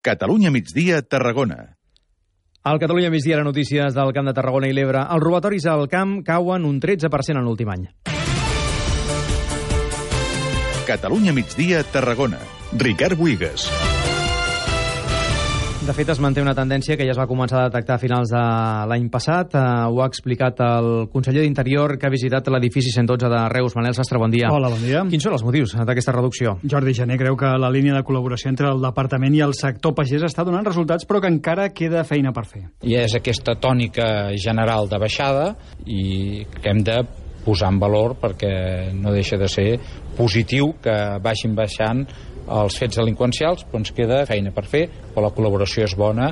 Catalunya migdia, Tarragona. Al Catalunya migdia, les notícies del Camp de Tarragona i l'Ebre. Els robatoris al camp cauen un 13% en l'últim any. Catalunya migdia, Tarragona. Ricard Buigas. De fet, es manté una tendència que ja es va començar a detectar a finals de l'any passat. Ho ha explicat el conseller d'Interior, que ha visitat l'edifici 112 de Reus. Manel Sastre, bon dia. Hola, bon dia. Quins són els motius d'aquesta reducció? Jordi Jané creu que la línia de col·laboració entre el departament i el sector pagès està donant resultats, però que encara queda feina per fer. I és aquesta tònica general de baixada i que hem de posar en valor perquè no deixa de ser positiu que vagin baixant els fets delinqüencials, però ens queda feina per fer, però la col·laboració és bona.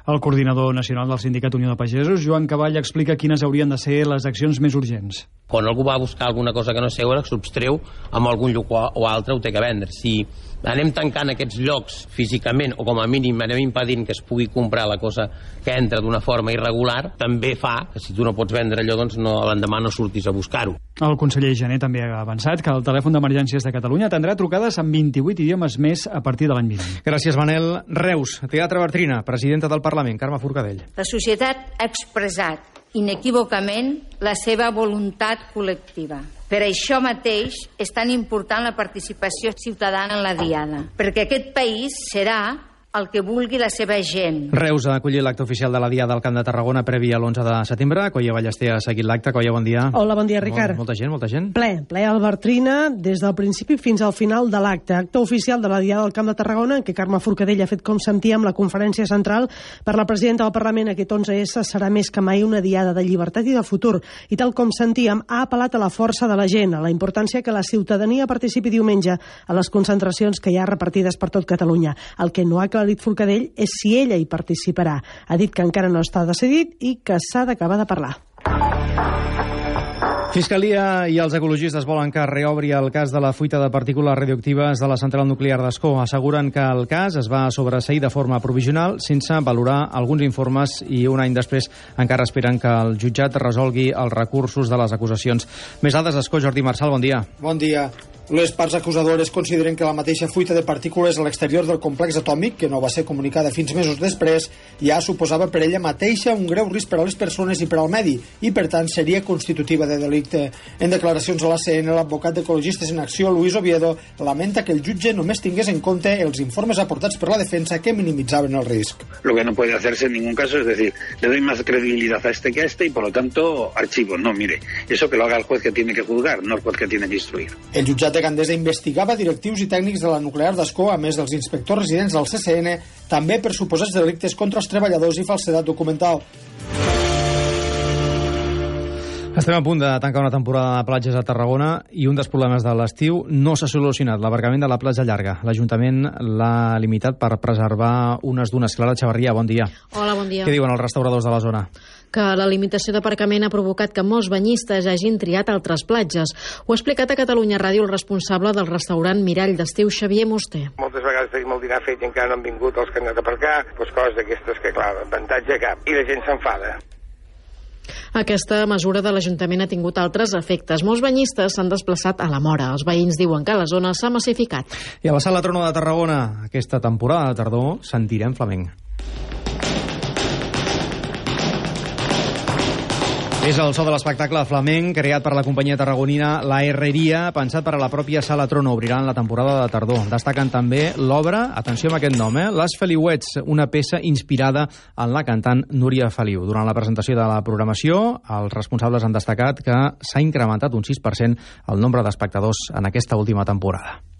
El coordinador nacional del Sindicat Unió de Pagesos, Joan Cavall, explica quines haurien de ser les accions més urgents. Quan algú va a buscar alguna cosa que no és seva, s'obstreu amb algun lloc o altre, ho té que vendre. Si anem tancant aquests llocs físicament, o com a mínim anem impedint que es pugui comprar la cosa que entra d'una forma irregular, també fa que si tu no pots vendre allò, doncs l'endemà no surtis a buscar-ho. El conseller Jané també ha avançat que el telèfon d'emergències de Catalunya atendrà trucades en 28 idiomes més a partir de l'any vinent. Gràcies, Manel. Reus, Teatre Bartrina, presidenta del Parlament, Carme Forcadell. La societat ha expressat inequívocament la seva voluntat col·lectiva. Per això mateix és tan important la participació ciutadana en la Diada, perquè aquest país serà el que vulgui la seva gent. Reus ha acollit l'acte oficial de la Diada al Camp de Tarragona previ a l'11 de setembre. Coia Ballester ha seguit l'acte. Coia, bon dia. Hola, bon dia, Ricard. Molta gent. Ple al Bartrina des del principi fins al final de l'acte. Acte oficial de la Diada al Camp de Tarragona en què Carme Forcadell ha fet, com sentíem, la conferència central per la presidenta del Parlament. Aquest 11S serà més que mai una Diada de llibertat i de futur. I tal com sentíem, ha apel·lat a la força de la gent, a la importància que la ciutadania participi diumenge a les concentracions que hi ha repartides per tot Catalunya. El que no ha aclarit Forcadell és si ella hi participarà. Ha dit que encara no està decidit i que s'ha d'acabar de parlar. Fiscalia i els ecologistes volen que reobri el cas de la fuita de partícules radioactives de la central nuclear d'Ascó. Asseguren que el cas es va sobreseir de forma provisional sense valorar alguns informes i un any després encara esperen que el jutjat resolgui els recursos de les acusacions. Més dades, Ascó. Jordi Marçal, bon dia. Bon dia. Les parts acusadores consideren que la mateixa fuita de partícules a l'exterior del complex atòmic, que no va ser comunicada fins mesos després, ja suposava per ella mateixa un greu risc per a les persones i per al medi, i per tant seria constitutiva de delicte. En declaracions a l'ACN, l'advocat d'Ecologistes en Acció, Luis Oviedo, lamenta que el jutge només tingués en compte els informes aportats per la defensa que minimitzaven el risc. Lo que no puede hacerse en ningún caso es decir, le doy más credibilidad a este que a este y por lo tanto archivo. No, mire, eso que lo haga el juez que tiene que juzgar, no el juez que tiene que instruir. El jutjat de Gandesa investigava directius i tècnics de la nuclear d'Ascó, a més dels inspectors residents del CCN, també per suposats delictes contra els treballadors i falsedat documental. Estem a punt de tancar una temporada de platges a Tarragona i un dels problemes de l'estiu no s'ha solucionat, l'abarcament de la platja llarga. L'Ajuntament l'ha limitat per preservar unes dunes. Clara Xavarria, bon dia. Hola, bon dia. Què diuen els restauradors de la zona? Que la limitació d'aparcament ha provocat que molts banyistes hagin triat altres platges. Ho ha explicat a Catalunya Ràdio el responsable del restaurant Mirall d'Estiu, Xavier Musté. Moltes vegades tenim el dinar fet i encara no han vingut els que han anat a aparcar, doncs coses d'aquestes que, clar, avantatge cap. I la gent s'enfada. Aquesta mesura de l'Ajuntament ha tingut altres efectes. Molts banyistes s'han desplaçat a la Mora. Els veïns diuen que la zona s'ha massificat. I a la Sala Trono de Tarragona, aquesta temporada de tardor, sentirem flamenc. És el so de l'espectacle flamenc creat per la companyia tarragonina La Herreria, pensat per a la pròpia Sala Trono. Obriran la temporada de tardor. Destaquen també l'obra, atenció amb aquest nom, Les Feliuets, una peça inspirada en la cantant Núria Feliu. Durant la presentació de la programació, els responsables han destacat que s'ha incrementat un 6% el nombre d'espectadors en aquesta última temporada.